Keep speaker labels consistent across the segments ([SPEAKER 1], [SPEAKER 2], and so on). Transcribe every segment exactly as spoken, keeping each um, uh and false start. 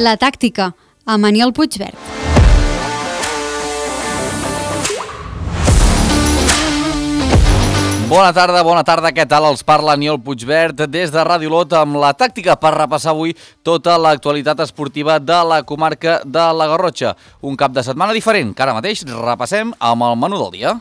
[SPEAKER 1] La tàctica, amb Aniol Puigvert.
[SPEAKER 2] Bona tarda, bona tarda, què tal? Els parla Aniol Puigvert des de Ràdio Olot amb La tàctica per repassar avui tota l'actualitat esportiva de la comarca de la Garrotxa. Un cap de setmana diferent que ara mateix repassem amb el menú del dia.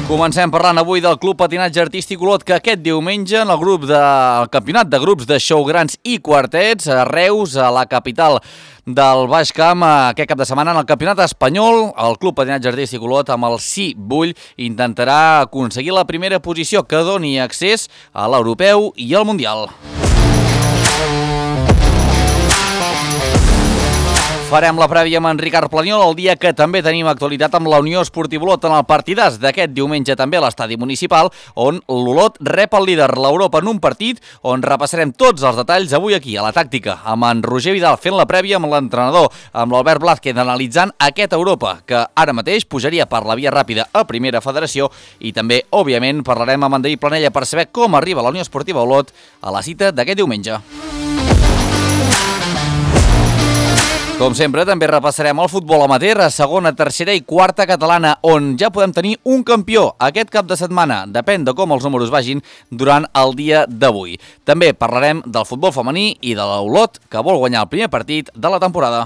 [SPEAKER 2] Comencem parlant avui del Club Patinatge Artístic Olot, que aquest diumenge en el grup del campionat de grups de show grans i quartets a Reus, a la capital del Baix Camp, aquest cap de setmana en el campionat espanyol, el Club Patinatge Artístic Olot amb el Sí Vull intentarà aconseguir la primera posició que doni accés a l'europeu i al mundial. Farem la prèvia amb en Ricard Planiol el dia que també tenim actualitat amb la Unió Esportiva Olot en el partidàs d'aquest diumenge també a l'estadi municipal, on l'Olot rep el líder l'Europa en un partit on repassarem tots els detalls avui aquí a La tàctica, amb en Roger Vidal fent la prèvia amb l'entrenador, amb l'Albert Blázquez analitzant aquest Europa, que ara mateix pujaria per la via ràpida a Primera Federació, i també, òbviament, parlarem amb en David Planella per saber com arriba la Unió Esportiva Olot a la cita d'aquest diumenge. Com sempre, també repassarem el futbol amateur a segona, tercera i quarta catalana, on ja podem tenir un campió aquest cap de setmana. Depèn de com els números vagin durant el dia d'avui. També parlarem del futbol femení i de l'Olot, que vol guanyar el primer partit de la temporada.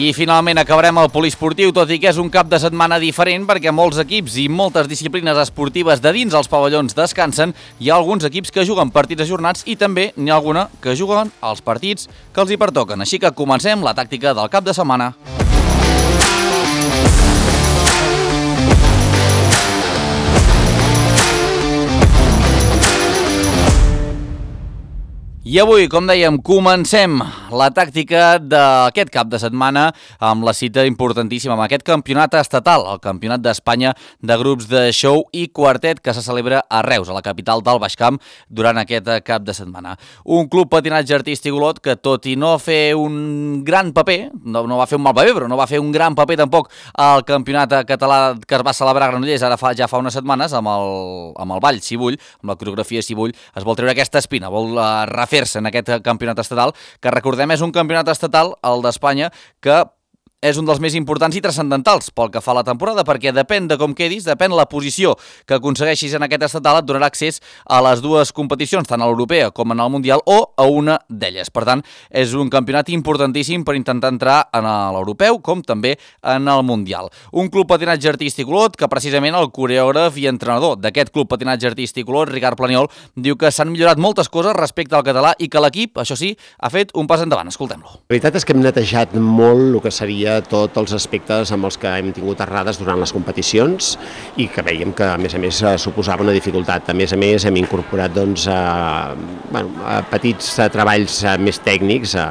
[SPEAKER 2] I finalment acabarem el poliesportiu, tot i que és un cap de setmana diferent perquè molts equips i moltes disciplines esportives de dins els pavellons descansen. Hi ha alguns equips que juguen partits ajornats i també n'hi ha alguna que juguen els partits que els hi pertoquen. Així que comencem la tàctica del cap de setmana. I avui, com dèiem, comencem la tàctica d'aquest cap de setmana amb la cita importantíssima, amb aquest campionat estatal, el Campionat d'Espanya de grups de show i quartet que se celebra a Reus, a la capital del Baix Camp, durant aquest cap de setmana. Un club patinatge artístic Olot que, tot i no fer un gran paper, no, no va fer un mal paper, però no va fer un gran paper tampoc al campionat català que es va celebrar a Granollers ara fa, ja fa unes setmanes, amb el, amb el ball Si Vull, amb la coreografia Si Vull, es vol treure aquesta espina, vol uh, refer en aquest campionat estatal, que recordem és un campionat estatal, el d'Espanya, que és un dels més importants i transcendentals pel que fa a la temporada, perquè depèn de com quedis, depèn la posició que aconsegueixis en aquest estatal, et donarà accés a les dues competicions, tant a l'europea com en el mundial, o a una d'elles. Per tant, és un campionat importantíssim per intentar entrar en l'europeu com també en el mundial. Un club patinatge artístic Olot que precisament el coreògraf i entrenador d'aquest club patinatge artístic Olot, Ricard Planiol, diu que s'han millorat moltes coses respecte al català i que l'equip, això sí, ha fet un pas endavant. Escoltem-lo.
[SPEAKER 3] La veritat és que hem netejat molt el que seria tots els aspectes amb els que hem tingut errades durant les competicions i que veiem que, a més a més, suposava una dificultat. A més a més, hem incorporat doncs, a, bueno, a petits treballs més tècnics a,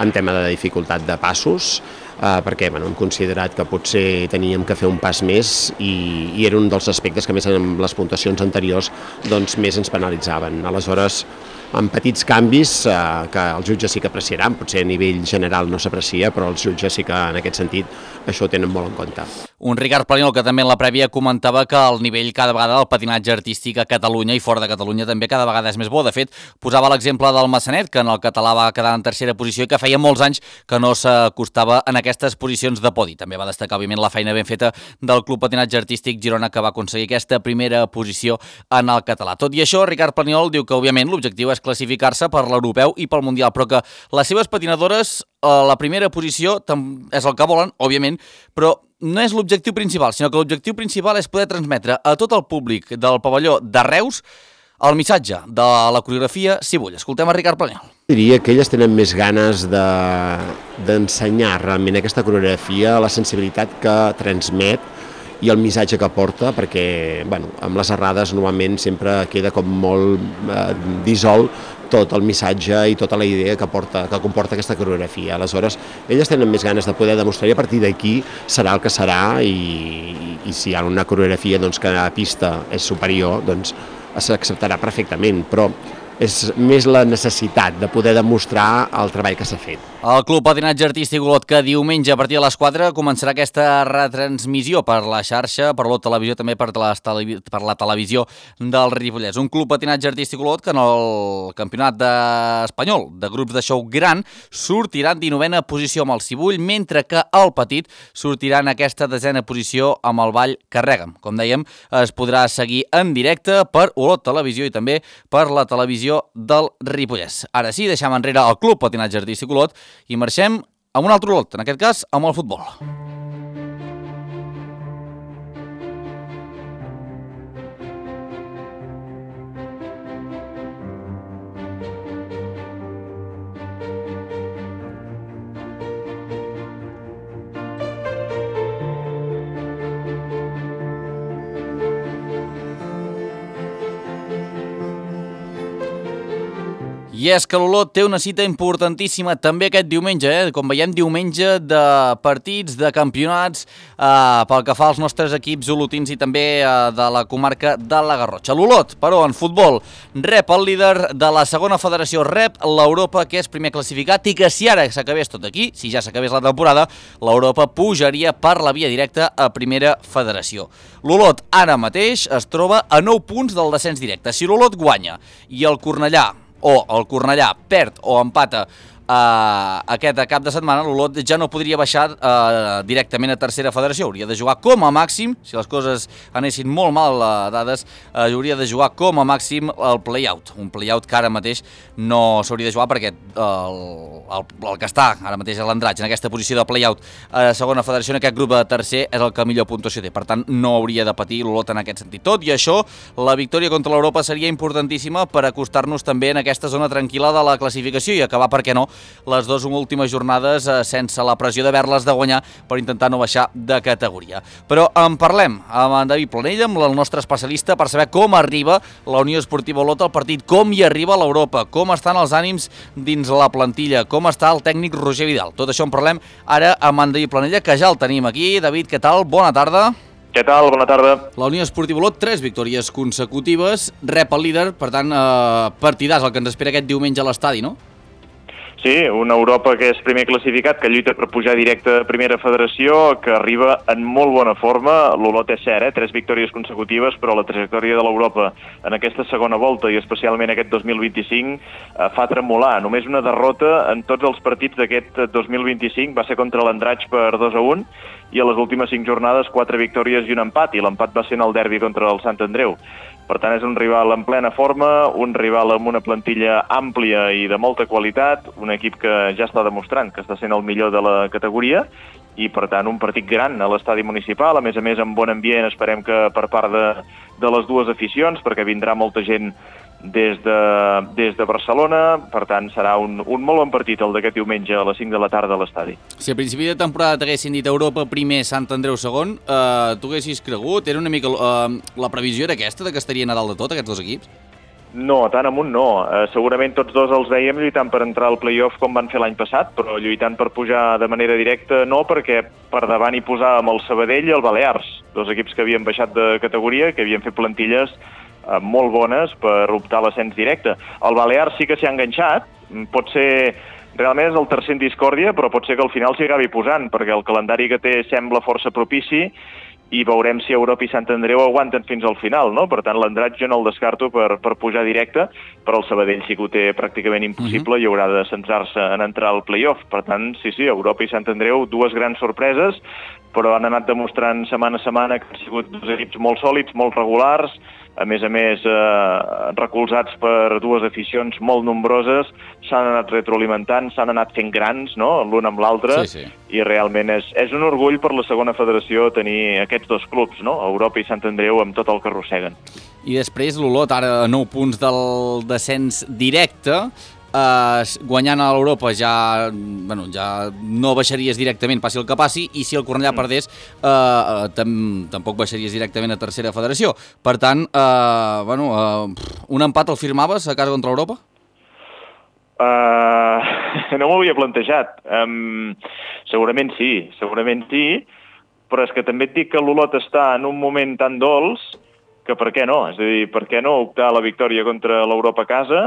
[SPEAKER 3] en tema de dificultat de passos, eh, perquè bueno, hem considerat que potser teníem que fer un pas més i, i era un dels aspectes que, més en les puntuacions anteriors, doncs, més ens penalitzaven. Aleshores, amb petits canvis eh, que els jutges sí que apreciaran, potser a nivell general no s'aprecia, però els jutges sí que en aquest sentit això ho tenen molt en compte.
[SPEAKER 2] Un Ricard Planiol que també en la prèvia comentava que el nivell cada vegada del patinatge artístic a Catalunya i fora de Catalunya també cada vegada és més bo. De fet, posava l'exemple del Massanet, que en el català va quedar en tercera posició i que feia molts anys que no s'acostava en aquestes posicions de podi. També va destacar, òbviament, la feina ben feta del Club Patinatge Artístic Girona, que va aconseguir aquesta primera posició en el català. Tot i això, Ricard Planiol diu que, òbviament, l'objectiu és classificar-se per l'europeu i pel mundial, però que les seves patinadores a la primera posició és el que volen, òbviament, però no és l'objectiu principal, sinó que l'objectiu principal és poder transmetre a tot el públic del pavelló de Reus el missatge de la coreografia Si Vull. Escoltem a Ricard Planiol.
[SPEAKER 3] Diria que elles tenen més ganes d'ensenyar de, realment aquesta coreografia, la sensibilitat que transmet i el missatge que porta, perquè bueno, amb les errades normalment sempre queda com molt eh, dissolt tot el missatge i tota la idea que, porta, que comporta aquesta coreografia. Aleshores, elles tenen més ganes de poder demostrar i a partir d'aquí serà el que serà i, i, i si hi ha una coreografia doncs, que a pista és superior, doncs s'acceptarà perfectament, però és més la necessitat de poder demostrar el treball que s'ha fet.
[SPEAKER 2] El Club Patinatge Artístic Olot, que diumenge a partir de les quatre començarà aquesta retransmissió per la xarxa, per l'Olot Televisió, també per la, per la televisió del Ripollès. Un Club Patinatge Artístic Olot que en el campionat de... espanyol de grups de show gran sortirà en dinovena posició amb el Cibull, mentre que el Petit sortirà en aquesta desena posició amb el Ball Carrega'm. Com dèiem, es podrà seguir en directe per Olot Televisió i també per la televisió del Ripollès. Ara sí, deixem enrere el Club Patinatge Artístic Olot i marxem amb un altre Olot, en aquest cas amb el futbol. I és que l'Olot té una cita importantíssima també aquest diumenge, eh? Com veiem, diumenge de partits, de campionats, eh, pel que fa als nostres equips olotins i també eh, de la comarca de la Garrotxa. L'Olot, però, en futbol, rep el líder de la segona federació, rep l'Europa, que és primer classificat, i que si ara s'acabés tot aquí, si ja s'acabés la temporada, l'Europa pujaria per la via directa a primera federació. L'Olot ara mateix es troba a nou punts del descens directe. Si l'Olot guanya i el Cornellà o el Cornellà perd o empata Uh, aquest cap de setmana, l'Olot ja no podria baixar uh, directament a tercera federació. Hauria de jugar com a màxim, si les coses anessin molt mal uh, dades, uh, hauria de jugar com a màxim el play-out. Un play-out que ara mateix no s'hauria de jugar perquè uh, el, el, el que està ara mateix a l'Andratx, en aquesta posició de play-out a segona federació, en aquest grup de tercer, és el que millor puntuació té. Per tant, no hauria de patir l'Olot en aquest sentit. Tot i això, la victòria contra l'Europa seria importantíssima per acostar-nos també en aquesta zona tranquil·la de la classificació i acabar, per què no, les dues últimes jornades eh, sense la pressió d'haver-les de guanyar per intentar no baixar de categoria. Però en parlem amb en David Planell, amb el nostre especialista, per saber com arriba la Unió Esportiva Olot al partit, com hi arriba l'Europa, com estan els ànims dins la plantilla, com està el tècnic Roger Vidal. Tot això en parlem ara amb en David Planella, que ja el tenim aquí. David, què tal? Bona tarda.
[SPEAKER 4] Què tal? Bona tarda.
[SPEAKER 2] La Unió Esportiva Olot, tres victòries consecutives, rep el líder, per tant, eh, partidàs el que ens espera aquest diumenge a l'estadi, no?
[SPEAKER 4] Sí, una Europa que és primer classificat, que lluita per pujar directe a primera federació, que arriba en molt bona forma. L'Olot és cert, eh? Tres victòries consecutives, però la trajectòria de l'Europa en aquesta segona volta i especialment aquest dos mil vint-i-cinc eh, fa tremolar. Només una derrota en tots els partits d'aquest dos mil vint-i-cinc va ser contra l'Andratx per dos a un i a les últimes cinc jornades quatre victòries i un empat, i l'empat va ser en el derbi contra el Sant Andreu. Per tant, és un rival en plena forma, un rival amb una plantilla àmplia i de molta qualitat, un equip que ja està demostrant que està sent el millor de la categoria i, per tant, un partit gran a l'estadi municipal, a més a més amb bon ambient, esperem que per part de, de les dues aficions, perquè vindrà molta gent des de, des de Barcelona. Per tant, serà un, un molt bon partit el d'aquest diumenge a les cinc de la tarda a l'estadi.
[SPEAKER 2] Si a principi de temporada t'haguessin dit Europa primer, Sant Andreu segon, eh, tu haguessis cregut? Era una mica eh, la previsió era aquesta, de que estarien a dalt de tot aquests dos equips?
[SPEAKER 4] No, tan amunt no. Eh, segurament tots dos els veiem lluitant per entrar al play-off com van fer l'any passat, però lluitant per pujar de manera directa no, perquè per davant hi posàvem el Sabadell i el Balears, dos equips que havien baixat de categoria, que havien fet plantilles eh, molt bones per optar a l'ascens directe. El Balears sí que s'hi ha enganxat, pot ser... Realment és el tercer en discòrdia, però pot ser que al final s'hi acabi posant, perquè el calendari que té sembla força propici i veurem si Europa i Sant Andreu aguanten fins al final, no? Per tant, l'Andratx jo no el descarto per, per pujar directe, però el Sabadell sí que ho té pràcticament impossible uh-huh. i haurà de centrar-se en entrar al play-off. Per tant, sí, sí, Europa i Sant Andreu, dues grans sorpreses, però han anat demostrant setmana a setmana que han sigut dos equips molt sòlids, molt regulars, a més a més eh, recolzats per dues aficions molt nombroses, s'han anat retroalimentant, s'han anat fent grans, no?, l'un amb l'altre,
[SPEAKER 2] sí, sí.
[SPEAKER 4] I realment és, és un orgull per la segona federació tenir aquests dos clubs, no?, Europa i Sant Andreu, amb tot el que arrosseguen.
[SPEAKER 2] I després l'Olot, ara a nou punts del descens directe, Uh, guanyant a l'Europa ja, bueno, ja no baixaries directament, passi el que passi, i si el Cornellà mm. perdés uh, uh, tam tampoc baixaries directament a tercera federació. Per tant, uh, bueno, uh, un empat el firmaves a casa contra l'Europa?
[SPEAKER 4] Uh, no m'ho havia plantejat. Um, segurament sí, segurament sí, però és que també et dic que l'Olot està en un moment tan dolç que per què no? És a dir, per què no optar a la victòria contra l'Europa a casa,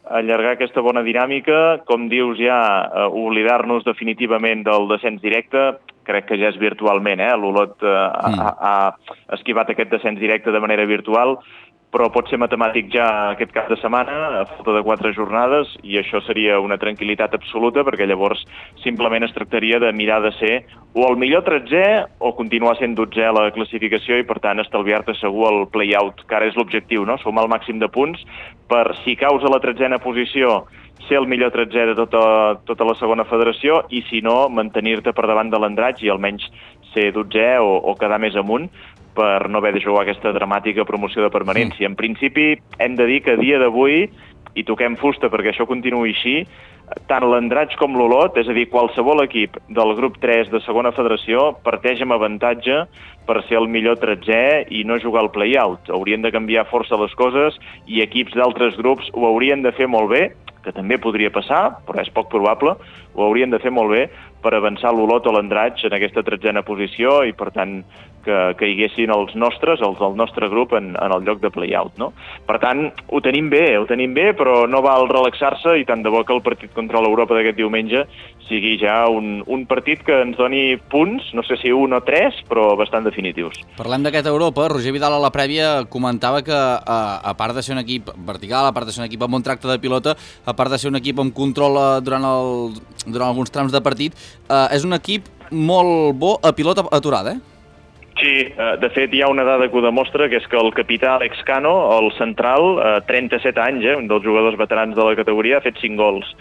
[SPEAKER 4] allargar aquesta bona dinàmica, com dius ja, uh, oblidar-nos definitivament del descens directe, crec que ja és virtualment, eh? L'Olot uh, mm. ha, ha esquivat aquest descens directe de manera virtual, però pot ser matemàtic ja aquest cap de setmana, a falta de quatre jornades, i això seria una tranquil·litat absoluta, perquè llavors simplement es tractaria de mirar de ser o el millor tretzè o continuar sent dotzè a la classificació i, per tant, estalviar-te segur el play-out, que ara és l'objectiu, no? Sumar el màxim de punts per, si caus a la tretzena posició, ser el millor tretzè de tota, tota la segona federació i, si no, mantenir-te per davant de l'Andratx i almenys ser dotzè o, o quedar més amunt, per no haver de jugar aquesta dramàtica promoció de permanència. En principi, hem de dir que a dia d'avui, i toquem fusta perquè això continuï així, tant l'Andratx com l'Olot, és a dir, qualsevol equip del grup tres de segona federació parteix amb avantatge per ser el millor tretzè i no jugar al play-out. Haurien de canviar força les coses i equips d'altres grups ho haurien de fer molt bé, que també podria passar, però és poc probable, ho haurien de fer molt bé per avançar l'Olot o l'Andratx en aquesta tretzena posició i, per tant, que caiguessin els nostres, els del nostre grup, en, en el lloc de play-out, no? Per tant, ho tenim bé, ho tenim bé, però no val relaxar-se i tant de bo que el partit contra l'Europa d'aquest diumenge sigui ja un, un partit que ens doni punts, no sé si un o tres, però bastant definitius.
[SPEAKER 2] Parlem d'aquesta Europa. Roger Vidal a la prèvia comentava que, a, a part de ser un equip vertical, a part de ser un equip amb un tracte de pilota, a part de ser un equip amb control durant, el, durant alguns trams de partit, eh, és un equip molt bo a pilota aturada, eh?
[SPEAKER 4] Sí, de fet hi ha una dada que ho demostra, que és que el capità Alex Cano, el central, trenta-set anys, eh, un dels jugadors veterans de la categoria, ha fet cinc gols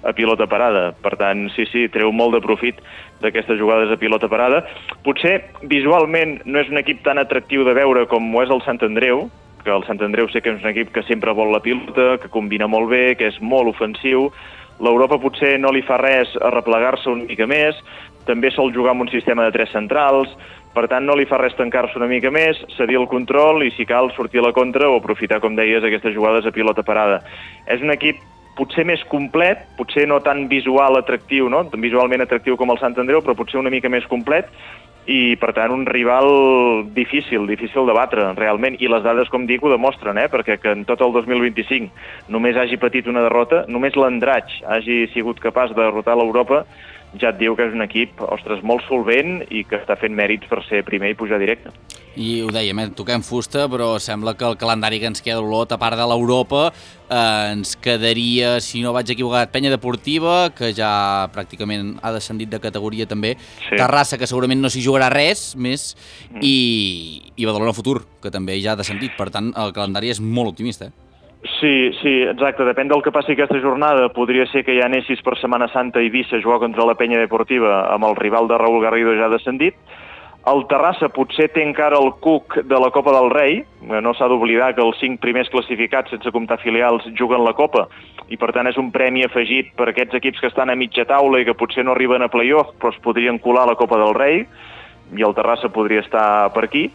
[SPEAKER 4] a pilota parada. Per tant, sí, sí, treu molt de profit d'aquestes jugades a pilota parada. Potser visualment no és un equip tan atractiu de veure com ho és el Sant Andreu, que el Sant Andreu sé que és un equip que sempre vol la pilota, que combina molt bé, que és molt ofensiu. L'Europa potser no li fa res a replegar-se una mica més, també sol jugar amb un sistema de tres centrals, per tant no li fa res tancar-se una mica més, cedir el control i, si cal, sortir a la contra o aprofitar, com deies, aquestes jugades a pilota parada. És un equip potser més complet, potser no tan visual atractiu, no? Visualment atractiu com el Sant Andreu, però potser una mica més complet i, per tant, un rival difícil, difícil de batre, realment. I les dades, com dic, ho demostren, eh? Perquè que en tot el dos mil vint-i-cinc només hagi patit una derrota, només l'Andratx hagi sigut capaç de derrotar l'Europa, ja et diu que és un equip, ostres, molt solvent i que està fent mèrits per ser primer i pujar directe.
[SPEAKER 2] I ho dèiem, eh? Toquem fusta, però sembla que el calendari que ens queda d'Olot, a part de l'Europa, eh, ens quedaria, si no vaig equivocat, Penya Deportiva, que ja pràcticament ha descendit de categoria també, sí. Terrassa, que segurament no s'hi jugarà res més, mm. i, i Badalona Futur, que també ja ha descendit. Per tant, el calendari és molt optimista, eh?
[SPEAKER 4] Sí, sí, exacte. Depèn del que passi aquesta jornada. Podria ser que ja anessis per Setmana Santa a Eivissa a jugar contra la Penya Deportiva amb el rival de Raúl Garrido ja descendit. El Terrassa potser té encara el cuc de la Copa del Rei. No s'ha d'oblidar que els cinc primers classificats, sense comptar filials, juguen la Copa. I, per tant, és un premi afegit per aquests equips que estan a mitja taula i que potser no arriben a play-off, però es podrien colar a la Copa del Rei. I el Terrassa podria estar per aquí,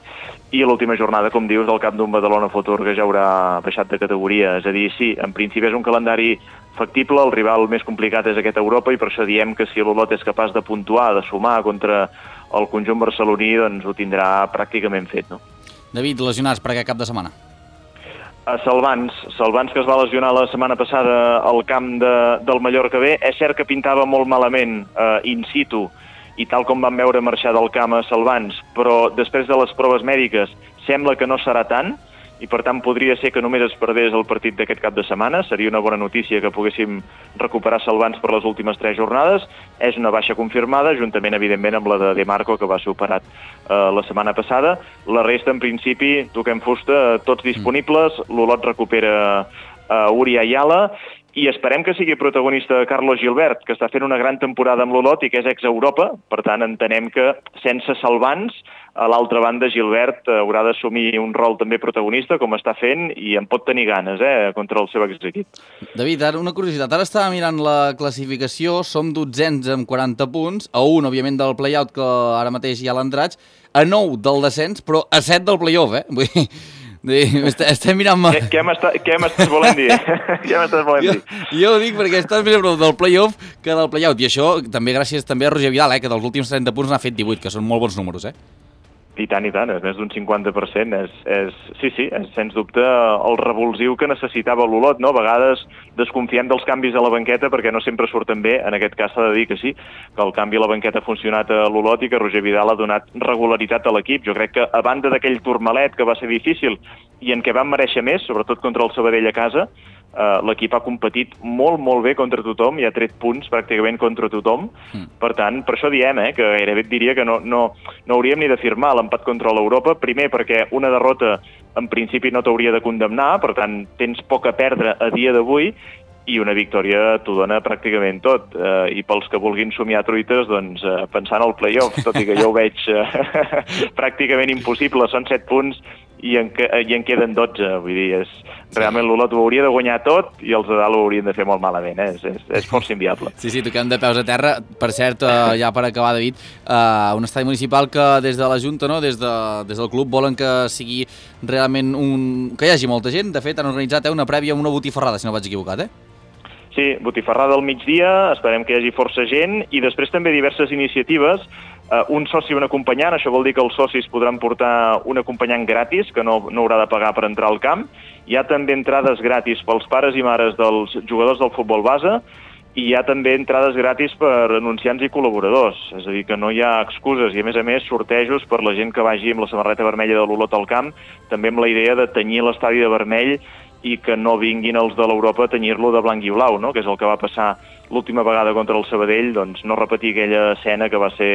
[SPEAKER 4] i l'última jornada, com dius, del camp d'un Badalona Futur, que ja haurà baixat de categoria. És a dir, sí, en principi és un calendari factible, el rival més complicat és aquest Europa, i per això diem que si l'Olot és capaç de puntuar, de sumar contra el conjunt barceloní, doncs ho tindrà pràcticament fet, no?
[SPEAKER 2] David, lesionats per aquest cap de setmana?
[SPEAKER 4] A Salvans, Salvans que es va lesionar la setmana passada al camp de, del Mallorca B. És cert que pintava molt malament eh, in situ, i tal com vam veure marxar del camp a Salvans, però després de les proves mèdiques sembla que no serà tant, i per tant podria ser que només es perdés el partit d'aquest cap de setmana. Seria una bona notícia que poguéssim recuperar Salvans per les últimes tres jornades. És una baixa confirmada, juntament, evidentment, amb la de De Marco, que va ser operat eh, la setmana passada. La resta, en principi, toquem fusta, tots disponibles. L'Olot recupera eh, Uri Ayala, i esperem que sigui protagonista Carlos Gilbert, que està fent una gran temporada amb l'Olot i que és ex-Europa. Per tant, entenem que sense Salvans, a l'altra banda, Gilbert haurà d'assumir un rol també protagonista, com està fent, i en pot tenir ganes, eh, contra el seu exequip.
[SPEAKER 2] David, ara una curiositat. Ara estava mirant la classificació, som dotzens amb quaranta punts, a un, òbviament, del play-out, que ara mateix hi ha l'Andratx, a nou del descens, però a set del play-off, eh? Vull dir, Estem mirant...
[SPEAKER 4] Què, què m'estàs volent dir? Què m'estàs volent dir?
[SPEAKER 2] Jo, jo ho dic perquè estàs més a prop del play-off que del play-out. I això també gràcies també a Roger Vidal, eh, que dels últims trenta punts n'ha fet divuit, que són molt bons números, eh?
[SPEAKER 4] I tant, i tant, és més d'un cinquanta per cent. És, és, sí, sí, és sens dubte el revulsiu que necessitava l'Olot, no? A vegades desconfiem dels canvis a la banqueta perquè no sempre surten bé, en aquest cas s'ha de dir que sí, que el canvi a la banqueta ha funcionat a l'Olot i que Roger Vidal ha donat regularitat a l'equip. Jo crec que a banda d'aquell turmalet que va ser difícil i en què van mereixer més, sobretot contra el Sabadell a casa, Uh, l'equip ha competit molt, molt bé contra tothom i ha tret punts pràcticament contra tothom. Mm. Per tant, per això diem eh, que gairebé et diria que no, no, no hauríem ni de firmar l'empat contra l'Europa. Primer, perquè una derrota en principi no t'hauria de condemnar, per tant, tens poc a perdre a dia d'avui, i una victòria t'ho dona pràcticament tot. Uh, I pels que vulguin somiar truites, doncs, uh, pensant al play-off, tot i que jo ho veig uh, pràcticament impossible, són set punts, i en, i en queden dotze, vull dir, és, realment l'Olot ho hauria de guanyar tot i els de dalt ho haurien de fer molt malament, eh? és, és, és força inviable.
[SPEAKER 2] Sí, sí, toquem de peus a terra. Per cert, uh, ja per acabar, David, uh, un estadi municipal que des de la Junta, no, des, de, des del club, volen que sigui realment un... que hi hagi molta gent. De fet, han organitzat eh, una prèvia amb una botifarrada, si no vaig equivocat, eh?
[SPEAKER 4] Sí, botifarrada al migdia, esperem que hi hagi força gent, i després també diverses iniciatives. Uh, un soci i un acompanyant, això vol dir que els socis podran portar un acompanyant gratis, que no, no haurà de pagar per entrar al camp. Hi ha també entrades gratis pels pares i mares dels jugadors del futbol base, i hi ha també entrades gratis per anunciants i col·laboradors, és a dir, que no hi ha excuses, i a més a més sortejos per la gent que vagi amb la samarreta vermella de l'Olot al camp, també amb la idea de tenyir l'estadi de vermell i que no vinguin els de l'Europa a tenyir-lo de blanc i blau, no? Que és el que va passar l'última vegada contra el Sabadell, doncs no repetir aquella escena que va ser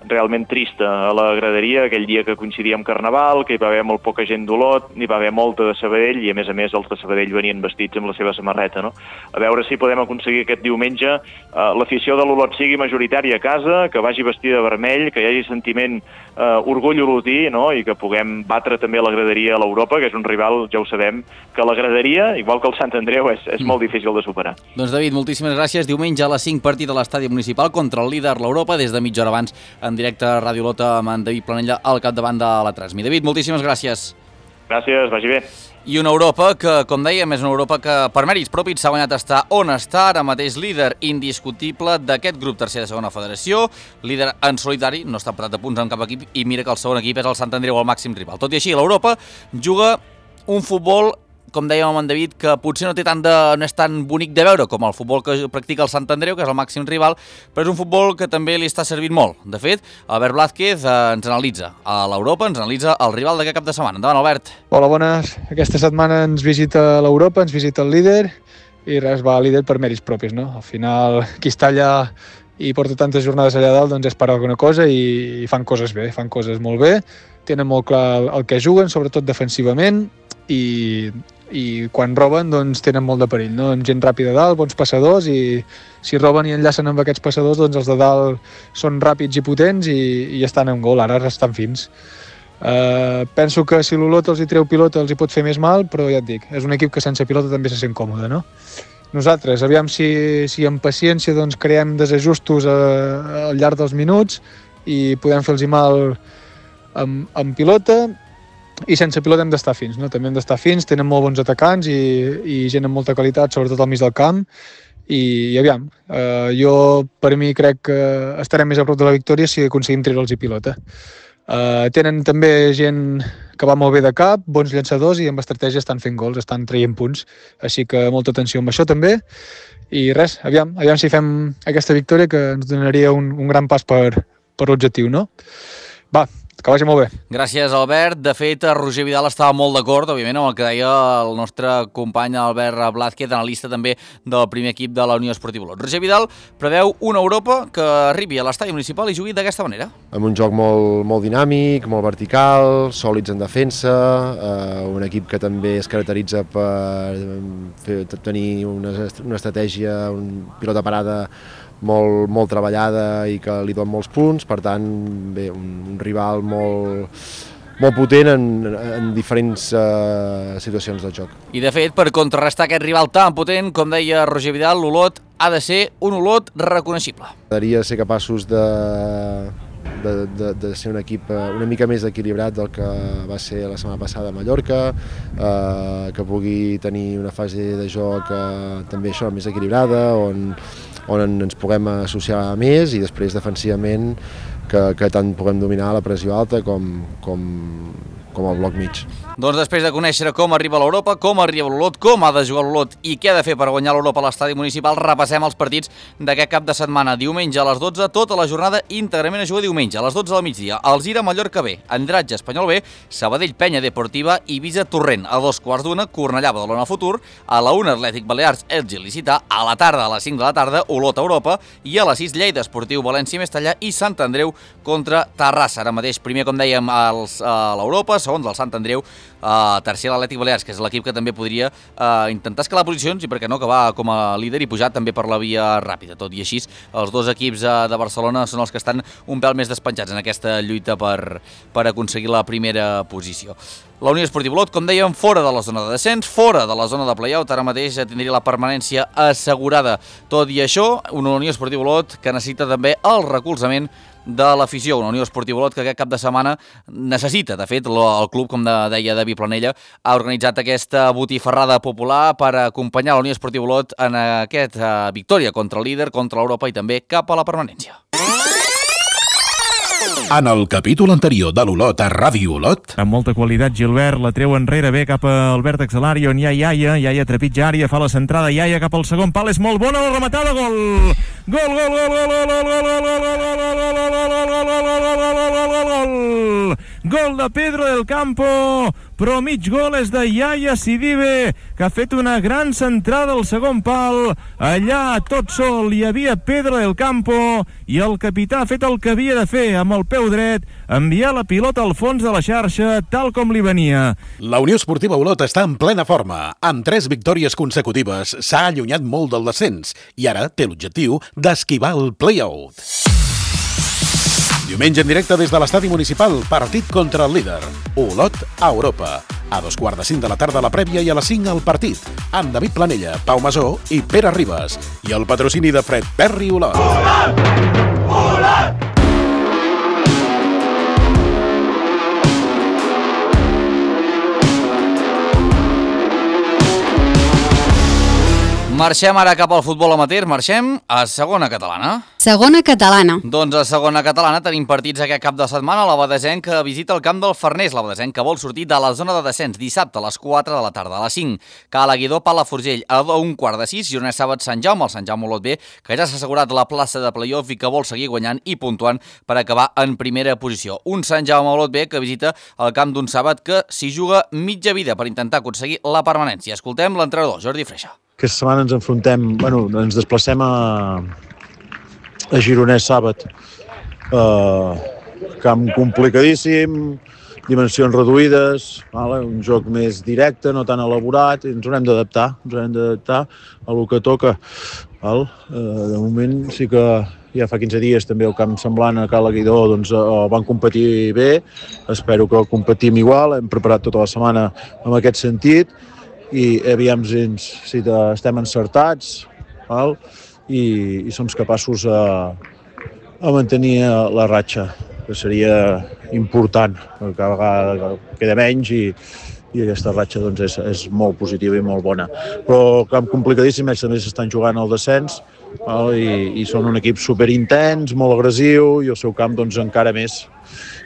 [SPEAKER 4] realment trista a la graderia, aquell dia que coincidia amb Carnaval, que hi va haver molt poca gent d'Olot, n'hi va haver molta de Sabadell, i a més a més els de Sabadell venien vestits amb la seva samarreta, no? A veure si podem aconseguir aquest diumenge eh, l'afició de l'Olot sigui majoritària a casa, que vagi vestida de vermell, que hi hagi sentiment eh, orgull olotí, no? I que puguem batre també la graderia a l'Europa, que és un rival, ja ho sabem, que la graderia, igual que el Sant Andreu, és, és molt difícil de superar.
[SPEAKER 2] Doncs David, moltíssimes gràcies. Diumenge a les cinc, partit a l'estadi municipal contra el líder l'Europa, des de mitja hora abans en directe a Ràdio Lota amb en David Planella al capdavant de la Transmi. David, moltíssimes gràcies.
[SPEAKER 4] Gràcies, vagi bé.
[SPEAKER 2] I una Europa que, com dèiem, és una Europa que per mèrits propis s'ha guanyat estar on està, ara mateix líder indiscutible d'aquest grup tercer de segona federació, líder en solitari, no està empatat a punts amb cap equip, i mira que el segon equip és el Sant Andreu, el màxim rival. Tot i així, l'Europa juga un futbol, com dèiem amb en David, que potser no té tant de, no és tan bonic de veure com el futbol que practica el Sant Andreu, que és el màxim rival, però és un futbol que també li està servint molt. De fet, Albert Blázquez eh, ens analitza a l'Europa, ens analitza el rival d'aquest cap de setmana. Endavant, Albert.
[SPEAKER 5] Hola, bones. Aquesta setmana ens visita l'Europa, ens visita el líder, i res, va líder per mèrits propis, no? Al final, qui està allà i porta tantes jornades allà dalt, doncs és per alguna cosa i, i fan coses bé, fan coses molt bé, tenen molt clar el, el que juguen, sobretot defensivament, i i quan roben doncs tenen molt de perill, no? Amb gent ràpida a dalt, bons passadors, i si roben i enllacen amb aquests passadors, doncs els de dalt són ràpids i potents i, i estan en gol, ara estan fins. Uh, penso que si l'Olot els hi treu pilota els hi pot fer més mal, però ja et dic, és un equip que sense pilota també se sent còmode, no? Nosaltres, aviam si, si amb paciència doncs, creem desajustos a, a, al llarg dels minuts i podem fer-los mal amb, amb pilota, i sense pilota hem d'estar fins, no? També hem d'estar fins, tenen molt bons atacants i, i gent amb molta qualitat, sobretot al mig del camp, i, i aviam, eh, jo per mi crec que estarem més a prop de la victòria si aconseguim treure'ls i pilota. Eh, tenen també gent que va molt bé de cap, bons llançadors, i amb estratègia estan fent gols, estan traient punts, així que molta atenció amb això també, i res, aviam, aviam si fem aquesta victòria que ens donaria un, un gran pas per, per l'objectiu, no? Va, que vagi molt bé.
[SPEAKER 2] Gràcies, Albert. De fet, Roger Vidal estava molt d'acord, òbviament, amb el que deia el nostre company Albert Blázquez, analista també del primer equip de la Unió Esportiva Olot. Roger Vidal preveu una Europa que arribi a l'estadi municipal i jugui d'aquesta manera.
[SPEAKER 3] Amb un joc molt, molt dinàmic, molt vertical, sòlids en defensa, eh, un equip que també es caracteritza per fer, tenir una, una estratègia, un pilota parada molt, molt treballada i que li dona molts punts, per tant, bé, un, un rival molt, molt potent en, en diferents uh, situacions del joc.
[SPEAKER 2] I de fet, per contrarrestar aquest rival tan potent, com deia Roger Vidal, l'Olot ha de ser un Olot reconeixible.
[SPEAKER 3] M'agradaria ser capaços de,
[SPEAKER 6] de, de, de ser un equip una mica més equilibrat del que va ser la setmana passada a Mallorca, eh, que pugui tenir una fase de joc eh, també això més equilibrada, on, on ens puguem associar més i després defensivament que, que tant puguem dominar la pressió alta com, com, com el bloc mig.
[SPEAKER 2] Doncs després de conèixer com arriba l'Europa, com arriba l'Olot, com ha de jugar l'Olot i què ha de fer per guanyar l'Europa a l'estadi municipal, repassem els partits d'aquest cap de setmana. Diumenge a les dotze, tota la jornada íntegrament a jugar diumenge. A les dotze del migdia, Alzira, Mallorca B, Andratge, Espanyol B, Sabadell, Penya Deportiva, Ibiza, Torrent. A dos quarts d'una, Cornellà, Badalona, Futur. A la una, Atlètic Balears, Elx, Licità. A la tarda, a les cinc de la tarda, Olot, Europa. I a les sis, Lleida, Esportiu, València, Mestalla i Sant Andreu contra Terrassa. Ara mateix, primer, com dèiem, els, a l'Europa, segon del Sant Andreu, Uh, tercer l'Atlètic Balears, que és l'equip que també podria uh, intentar escalar posicions i per què no acabar com a líder i pujar també per la via ràpida. Tot i així, els dos equips uh, de Barcelona són els que estan un pèl més despenjats en aquesta lluita per, per aconseguir la primera posició. La Unió Esportiva Olot, com dèiem, fora de la zona de descens, fora de la zona de play-out, ara mateix tindria la permanència assegurada. Tot i això, una Unió Esportiva Olot que necessita també el recolzament de l'afició, una Unió Esportiva Olot que aquest cap de setmana necessita. De fet, el club, com deia David Planella, ha organitzat aquesta botifarrada popular per acompanyar la Unió Esportiva Olot en aquesta victòria contra el líder, contra l'Europa i també cap a la permanència.
[SPEAKER 7] En el capítol anterior de l'Olot a Ràdio Olot...
[SPEAKER 8] Amb molta qualitat, Gilbert, la treu enrere bé cap al vèrtex de l'àrea on hi ha Iaia, Iaia trepitja àrea, fa la centrada, Iaia cap al segon pal, és molt bona la rematada, gol! Gol, gol, gol, gol, gol, gol, gol, gol, gol, gol de Pedro del Campo, però mig gol és de Iaia Sidibe, que ha fet una gran centrada al segon pal. Allà, tot sol, hi havia Pedro del Campo i el capità ha fet el que havia de fer amb el peu dret, enviar la pilota al fons de la xarxa tal com li venia.
[SPEAKER 7] La Unió Esportiva Olot està en plena forma. Amb tres victòries consecutives s'ha allunyat molt del descens i ara té l'objectiu d'esquivar el play-out. Diumenge en directe des de l'estadi municipal, partit contra el líder, Olot a Europa. A dos quarts de cinc de la tarda la prèvia i a les cinc el partit, amb David Planella, Pau Masó i Pere Ribas. I el patrocini de Fred Perry Olot. Olot! Olot!
[SPEAKER 2] Marxem ara cap al futbol amateur, marxem a segona catalana.
[SPEAKER 1] Segona catalana.
[SPEAKER 2] Doncs a segona catalana tenim partits aquest cap de setmana. La Badesenc que visita el camp del Farners. La Badesenc que vol sortir de la zona de descens dissabte a les quatre de la tarda. A les cinc, Cala Guidó, Palafrugell. A un quart de sis, Gironès Sàbat, Sant Jaume. El Sant Jaume Olot B, que ja s'ha assegurat la plaça de play-off i que vol seguir guanyant i puntuant per acabar en primera posició. Un Sant Jaume Olot B que visita el camp d'un Sàbat que s'hi juga mitja vida per intentar aconseguir la permanència. Escoltem l'entrenador, Jordi Freixa.
[SPEAKER 9] Aquesta setmana ens enfrontem, bueno, ens desplacem a, a Gironès Sàbat. Uh, camp complicadíssim, dimensions reduïdes, vale? Un joc més directe, no tan elaborat, i ens haurem d'adaptar, ens haurem d'adaptar a lo que toca. Val? Uh, de moment sí que ja fa quinze dies també el camp semblant a Cala Guidó doncs, uh, van competir bé, espero que competim igual, hem preparat tota la setmana en aquest sentit, i aviam si, si estem encertats, val? I, i som capaços a, a mantenir la ratxa, que seria important, perquè cada vegada queda menys i, i aquesta ratxa doncs, és, és molt positiva i molt bona. Però camp complicadíssim, ells també s'estan jugant al descens, val? I, i són un equip superintens, molt agressiu, i el seu camp doncs, encara més.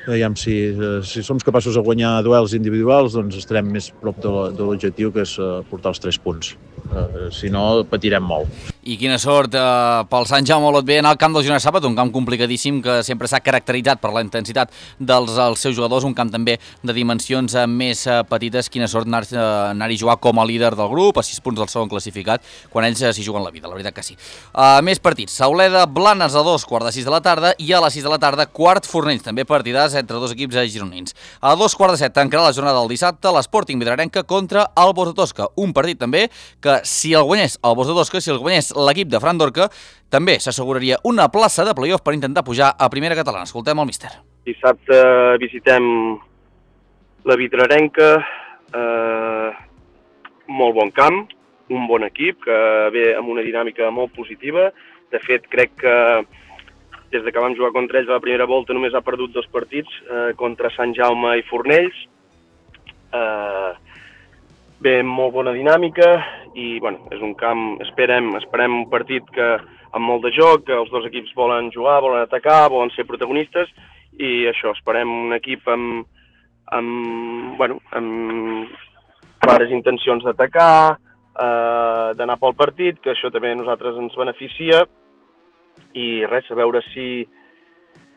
[SPEAKER 9] Aviam, si, si som capaços de guanyar duels individuals, doncs estarem més prop de l'objectiu, que és portar els tres punts. Uh, si no, patirem molt.
[SPEAKER 2] I quina sort eh, pel Sant Jaume Olot B en el camp del Gironès Sàbat, un camp complicadíssim que sempre s'ha caracteritzat per la intensitat dels els seus jugadors, un camp també de dimensions eh, més eh, petites. Quina sort anar-hi eh, anar a jugar com a líder del grup, a sis punts del segon classificat, quan ells eh, s'hi juguen la vida, la veritat que sí. Uh, més partits, Sauleda, Blanes a dos, quart de sis de la tarda, i a les sis de la tarda, quart Fornells, també partidars entre dos equips eh, gironins. A dos quarts de set tancarà la jornada del dissabte, l'Sporting Vidrarenca contra el Bos de Tosca, un partit també que si el guanyés el Bos de Tosca, si el guanyés l'equip de Fran Dorca, també s'asseguraria una plaça de play-off per intentar pujar a primera catalana. Escoltem el míster.
[SPEAKER 10] Dissabte visitem la Vidrarenca, eh, molt bon camp, un bon equip, que ve amb una dinàmica molt positiva. De fet, crec que des de que vam jugar contra ells a la primera volta només ha perdut dos partits, eh, contra Sant Jaume i Fornells. Eh, bé, molt bona dinàmica i bueno, és un camp, esperem, esperem un partit que amb molt de joc, que els dos equips volen jugar, volen atacar, volen ser protagonistes i això, esperem un equip amb, amb, bueno, amb clares intencions d'atacar, eh, d'anar pel partit, que això també a nosaltres ens beneficia i res, a veure si,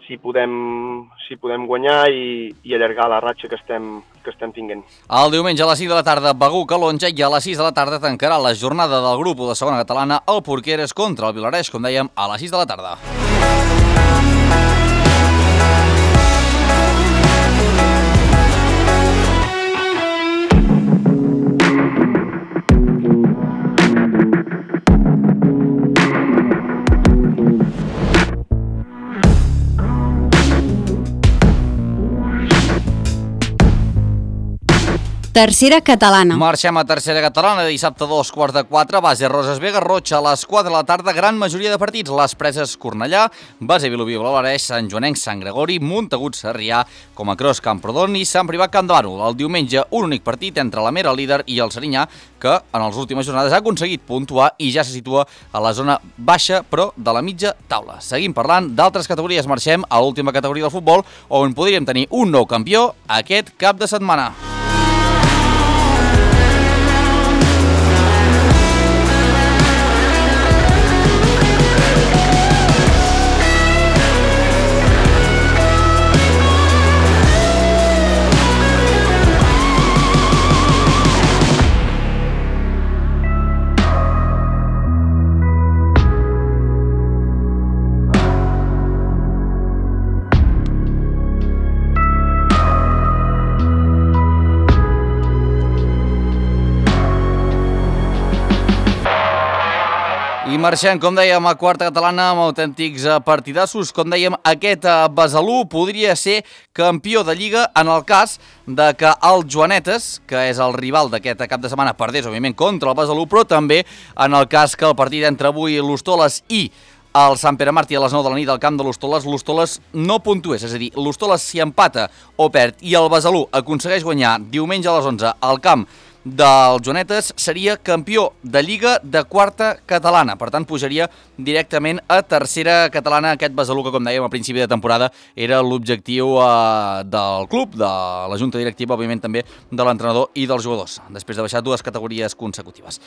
[SPEAKER 10] si, podem, si podem guanyar i, i allargar la ratxa que estem, que estem tinguent.
[SPEAKER 2] El diumenge a les cinc de la tarda, Begur Calonja, i a les sis de la tarda tancarà la jornada del grup de segona catalana el Porqueres contra el Vilareix, com dèiem, a les sis de la tarda.
[SPEAKER 1] Tercera catalana.
[SPEAKER 2] Marxem a tercera catalana, dissabte a dos quarts de quatre, base Roses Vega, Roig a les quatre de la tarda, gran majoria de partits, les Preses Cornellà, base Vilobí Vilareix, Sant Joanenc, Sant Gregori, Montagut Sarrià, com a Cros Camprodon i Sant Privat Camp de Bànol. El diumenge un únic partit entre la Mera líder i el Serinyà, que en les últimes jornades ha aconseguit puntuar i ja se situa a la zona baixa, però de la mitja taula. Seguim parlant d'altres categories, marxem a l'última categoria del futbol, on podríem tenir un nou campió aquest cap de setmana. I marxem, com dèiem, a quarta catalana amb autèntics partidassos. Com dèiem, aquest Besalú podria ser campió de Lliga en el cas de que el Joanetes, que és el rival d'aquest cap de setmana, perdés, òbviament, contra el Besalú, però també en el cas que el partit entre avui l'Hostoles i el Sant Pere Martí a les nou de la nit al camp de l'Hostoles, l'Hostoles no puntués, és a dir, l'Hostoles si empata o perd i el Besalú aconsegueix guanyar diumenge a les onze al camp del Joanetes, seria campió de Lliga de quarta catalana. Per tant, pujaria directament a tercera catalana aquest Besalú, que, com dèiem, a principi de temporada era l'objectiu eh, del club, de la junta directiva, òbviament també de l'entrenador i dels jugadors, després de baixar dues categories consecutives.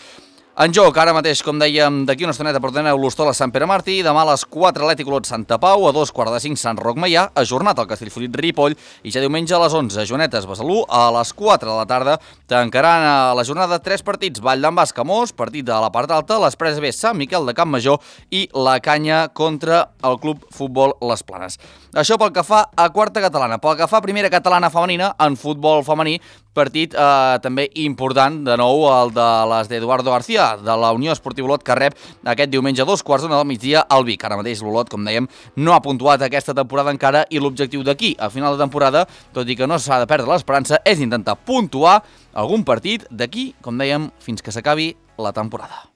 [SPEAKER 2] En joc, ara mateix, com dèiem, d'aquí una estoneta portareu l'Hostoles Sant Pere Martí, demà a les quatre Atlètic Olot Santa Pau, a dos quarts de cinc Sant Roc Maià, ajornat al Castellfollit Ripoll, i ja diumenge a les onze Joanetes Besalú, a les quatre de la tarda tancaran a la jornada tres partits, Vall d'en Bas Camós, partit de la part alta, les Preses B Sant Miquel de Campmajor i la Canya contra el Club Futbol Les Planes. Això pel que fa a quarta catalana. Pel que fa a primera catalana femenina, en futbol femení, partit eh, també important, de nou el de les d'Eduardo García, de la Unió Esportiva Olot, que rep aquest diumenge a dos quarts d'una del migdia al Vic. Ara mateix l'Olot, com dèiem, no ha puntuat aquesta temporada encara i l'objectiu d'aquí a final de temporada, tot i que no s'ha de perdre l'esperança, és intentar puntuar algun partit d'aquí, com dèiem, fins que s'acabi la temporada.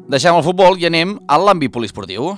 [SPEAKER 2] Deixem el futbol i anem a l'àmbit poliesportiu.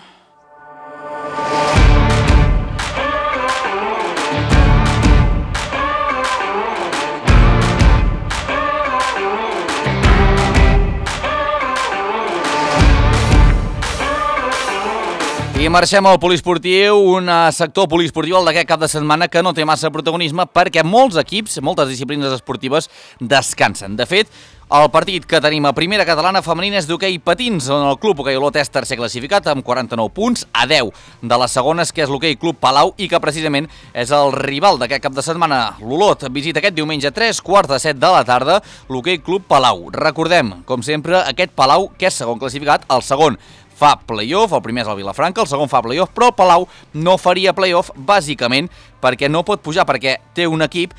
[SPEAKER 2] I marxem al poliesportiu, un sector poliesportiu, el d'aquest cap de setmana, que no té massa protagonisme perquè molts equips, moltes disciplines esportives descansen. De fet, el partit que tenim a primera catalana femenina és d'hoquei patins, on el Club Hoquei Olot és tercer classificat amb quaranta-nou punts a deu de les segones, que és l'Hoquei Club Palau, i que precisament és el rival d'aquest cap de setmana. L'Olot visita aquest diumenge a tres quarts de set de la tarda l'Hoquei Club Palau. Recordem, com sempre, aquest Palau, que és segon classificat, el segon fa play-off, el primer és el Vilafranca, el segon fa play-off, però el Palau no faria play-off bàsicament perquè no pot pujar, perquè té un equip,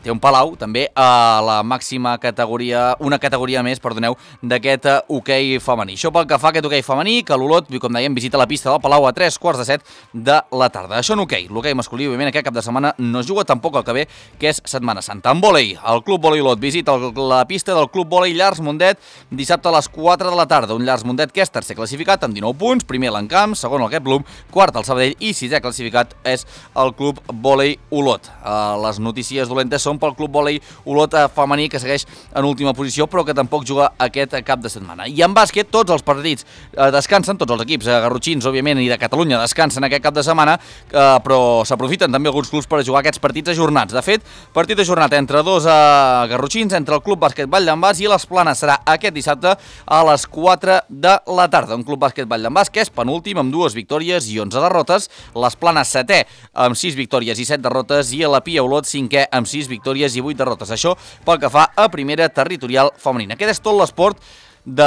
[SPEAKER 2] té un Palau, també, a la màxima categoria, una categoria més, perdoneu, d'aquest hoquei femení. Això pel que fa a aquest hoquei femení, que l'Olot, com dèiem, visita la pista del Palau a tres quarts de set de la tarda. Això en hoquei. L'hoquei masculí, òbviament, aquest cap de setmana no es juga tampoc el que ve, que és Setmana Santa. En vòlei, el Club Vòlei Olot visita la pista del Club Vòlei Llars Mundet dissabte a les quatre de la tarda. Un Llars Mundet que és tercer classificat amb dinou punts, primer l'Encamp, segon el Get Blum, quart el Sabadell i sisè classificat és el Club Vòlei Olot. Les notícies dolentes són pel Club Vòlei Olot femení, que segueix en última posició, però que tampoc juga aquest cap de setmana. I en bàsquet, tots els partits descansen, tots els equips garrotxins, òbviament, i de Catalunya descansen aquest cap de setmana, però s'aprofiten també alguns clubs per jugar aquests partits ajornats. De fet, partit ajornat entre dos garrotxins, entre el Club Bàsquet Vall d'en Bas i les Planes, serà aquest dissabte a les quatre de la tarda. Un Club Bàsquet Vall d'en Bas que és penúltim amb dues victòries i onze derrotes, les Planes setè amb sis victòries i set derrotes i la Pia Olot cinquè amb sis victòries i vuit derrotes. Això pel que fa a primera territorial femenina. Aquest és tot l'esport de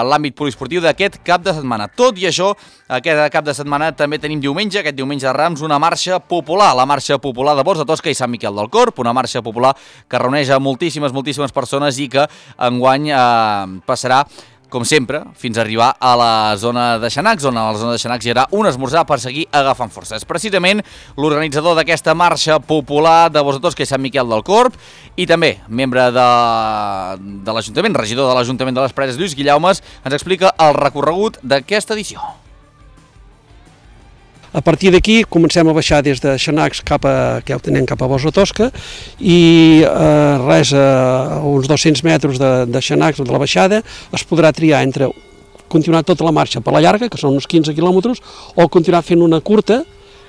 [SPEAKER 2] l'àmbit poliesportiu d'aquest cap de setmana. Tot i això, aquest cap de setmana també tenim diumenge, aquest diumenge de Rams, una marxa popular, la marxa popular de Bors de Tosca i Sant Miquel del Corp, una marxa popular que reuneix a moltíssimes, moltíssimes persones i que enguany eh, passarà, com sempre, fins a arribar a la zona de Xanacs, on a la zona de Xanacs hi haurà un esmorzar per seguir agafant forces. Precisament, l'organitzador d'aquesta marxa popular de Bors de Tosca i Sant Miquel del Corp, i també membre de, de l'Ajuntament, regidor de l'Ajuntament de les Preses, Lluís Guillaumes, ens explica el recorregut d'aquesta edició.
[SPEAKER 11] A partir d'aquí comencem a baixar des de Xanacs cap a, que ja ho tenem cap a Bors de Tosca, i eh, res, a uns dos-cents metres de, de Xanacs, de la baixada, es podrà triar entre continuar tota la marxa per la llarga, que són uns quinze quilòmetres, o continuar fent una curta,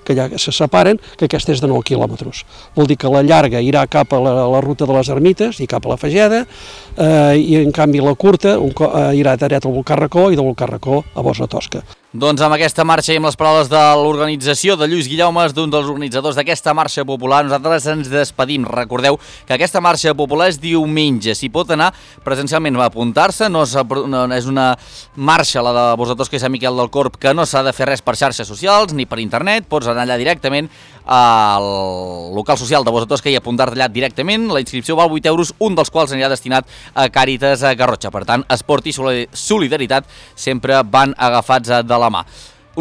[SPEAKER 11] que ja se separen, que aquesta és de nou quilòmetres. Vol dir que la llarga irà cap a la, a la ruta de les Ermites i cap a la Fageda, eh, i en canvi la curta un, eh, irà dret al Volcà Racó i del Volcà Racó a Bors de Tosca.
[SPEAKER 2] Doncs amb aquesta marxa i amb les paraules de l'organització de Lluís Guillaumes, d'un dels organitzadors d'aquesta marxa popular, nosaltres ens despedim. Recordeu que aquesta marxa popular és diumenge. S'hi pot anar presencialment a apuntar-se, no és, no, és una marxa, la de Bors de Tosca i Sant Miquel del Corp, que no s'ha de fer res per xarxes socials ni per internet, pots anar allà directament al local social de Bors de Tosca i apuntar-te allà directament. La inscripció val vuit euros, un dels quals anirà destinat a Càritas a Garrotxa. Per tant, esport i solidaritat sempre van agafats de la mà.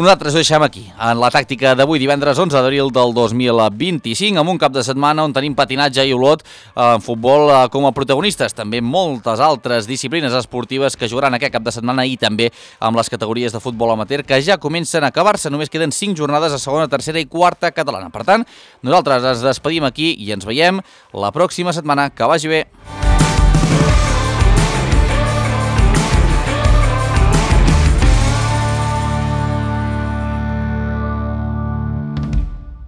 [SPEAKER 2] Nosaltres ho deixem aquí, en la tàctica d'avui, divendres onze d'abril del dos mil vint-i-cinc, amb un cap de setmana on tenim patinatge i Olot en futbol com a protagonistes. També moltes altres disciplines esportives que jugaran aquest cap de setmana i també amb les categories de futbol amateur que ja comencen a acabar-se. Només queden cinc jornades a segona, tercera i quarta catalana. Per tant, nosaltres ens despedim aquí i ens veiem la pròxima setmana. Que vagi bé!